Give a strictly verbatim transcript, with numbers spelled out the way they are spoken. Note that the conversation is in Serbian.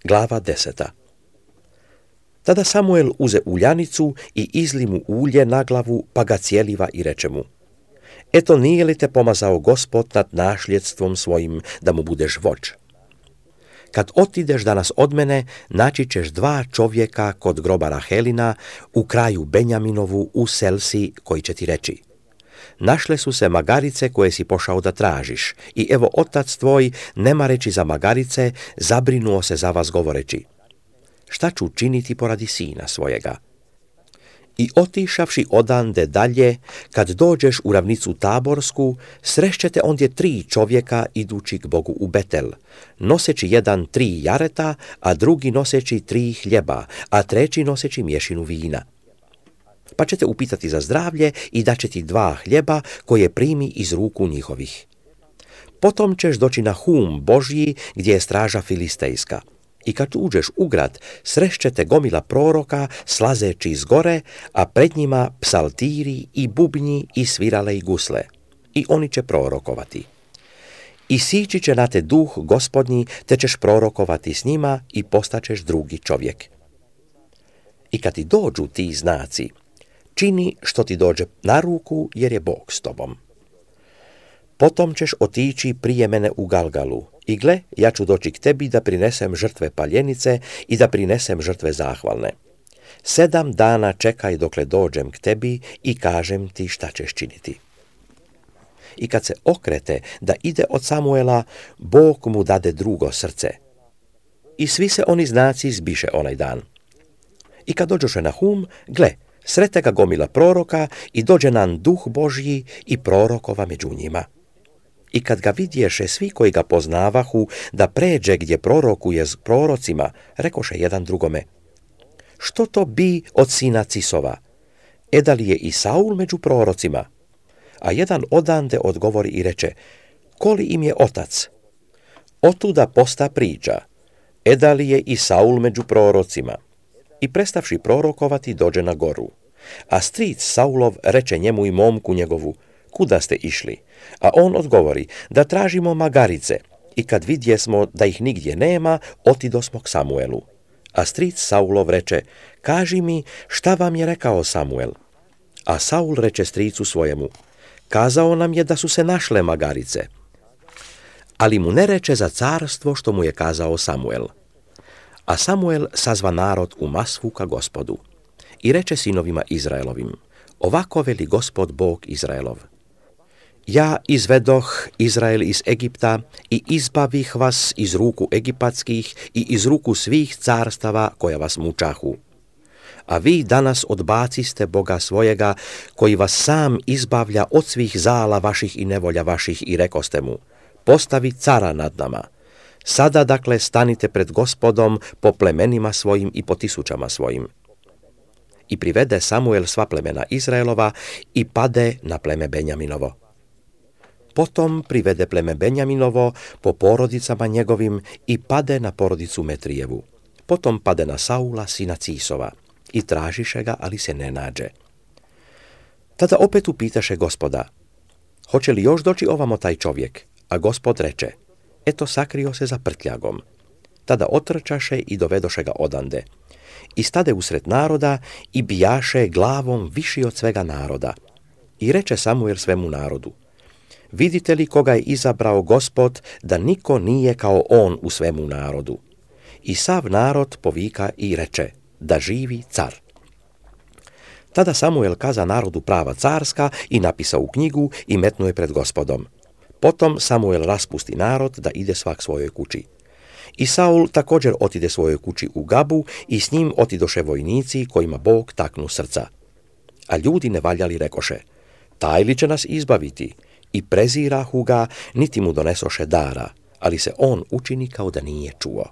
Glava deseta. Tada Samuel uze uljanicu i izli mu ulje na glavu, pa ga cijeliva i reče mu: Eto, nije li te pomazao Gospod nad našljedstvom svojim da mu budeš vođ? Kad otideš danas od mene, naći ćeš dva čovjeka kod groba Rahelina u kraju Benjaminovu u Selsi, koji će ti reći: Našle su se magarice koje si pošao da tražiš, i evo otac tvoj, nema reći za magarice, zabrinuo se za vas govoreći: Šta ću činiti poradi sina svojega? I otišavši odande dalje, kad dođeš u ravnicu Taborsku, srešćete ondje tri čovjeka idući k Bogu u Betel, noseći jedan tri jareta, a drugi noseći tri hljeba, a treći noseći mješinu vina. Pa ćete upitati za zdravlje i daće ti dva hljeba koje primi iz ruku njihovih. Potom ćeš doći na Hum Božji, gdje je straža filistejska. I kad uđeš u grad, srešćete gomila proroka slazeći iz gore, a pred njima psaltiri i bubnji i svirale i gusle. I oni će prorokovati. I sići će na te duh Gospodnji, te ćeš prorokovati s njima i postaćeš drugi čovjek. I kad ti dođu ti znaci, čini što ti dođe na ruku, jer je Bog s tobom. Potom ćeš otići prije mene u Galgalu, i gle, ja ću doći k tebi da prinesem žrtve paljenice i da prinesem žrtve zahvalne. Sedam dana čekaj dokle dođem k tebi i kažem ti šta ćeš činiti. I kad se okrete da ide od Samuela, Bog mu dade drugo srce. I svi se oni znaci zbiše onaj dan. I kad dođoše na Hum, gle, srete ga gomila proroka i dođe nam duh Božji i prorokova među njima. I kad ga vidješe svi koji ga poznavahu da pređe gdje prorokuje s prorocima, rekoše jedan drugome: Što to bi od sina Cisova? E da li je i Saul među prorocima? A jedan odande odgovori i reče: Koli im je otac? Otuda posta priča: E da li je i Saul među prorocima? I prestavši prorokovati, dođe na goru. A stric Saulov reče njemu i momku njegovu: Kuda ste išli? A on odgovori: Da tražimo magarice. I kad vidjesmo da ih nigdje nema, otidosmo k Samuelu. A stric Saulov reče: Kaži mi, šta vam je rekao Samuel? A Saul reče stricu svojemu: Kazao nam je da su se našle magarice. Ali mu ne reče za carstvo što mu je kazao Samuel. A Samuel sazva narod u Masvu ka Gospodu. I reče sinovima Izraelovim: Ovako veli Gospod Bog Izraelov: Ja izvedoh Izrael iz Egipta i izbavih vas iz ruku egipatskih i iz ruku svih carstava koja vas mučahu. A vi danas odbaciste Boga svojega, koji vas sam izbavlja od svih zala vaših i nevolja vaših, i rekoste mu: Postavi cara nad nama. Sada dakle stanite pred Gospodom po plemenima svojim i po tisućama svojim. I privede Samuel sva plemena Izraelova i pade na pleme Benjaminovo. Potom privede pleme Benjaminovo po porodicama njegovim i pade na porodicu Metrijevu. Potom pade na Saula, sina Cisova, i tražiše ga, ali se ne nađe. Tada opet upitaše Gospoda: Hoće li još doći ovamo taj čovjek? A Gospod reče: Eto, sakrio se za prtljagom. Tada otrčaše i dovedoše ga odande. I stade usred naroda i bijaše glavom viši od svega naroda. I reče Samuel svemu narodu: Vidite li koga je izabrao Gospod, da niko nije kao on u svemu narodu? I sav narod povika i reče: Da živi car. Tada Samuel kaza narodu prava carska i napisa u knjigu i metnu je pred Gospodom. Potom Samuel raspusti narod da ide svak svojoj kući. I Saul također otide svojoj kući u Gabu i s njim otidoše vojnici kojima Bog taknu srca. A ljudi nevaljali rekoše: Taj li će nas izbaviti? I prezirahu ga, niti mu donesoše dara, ali se on učini kao da nije čuo.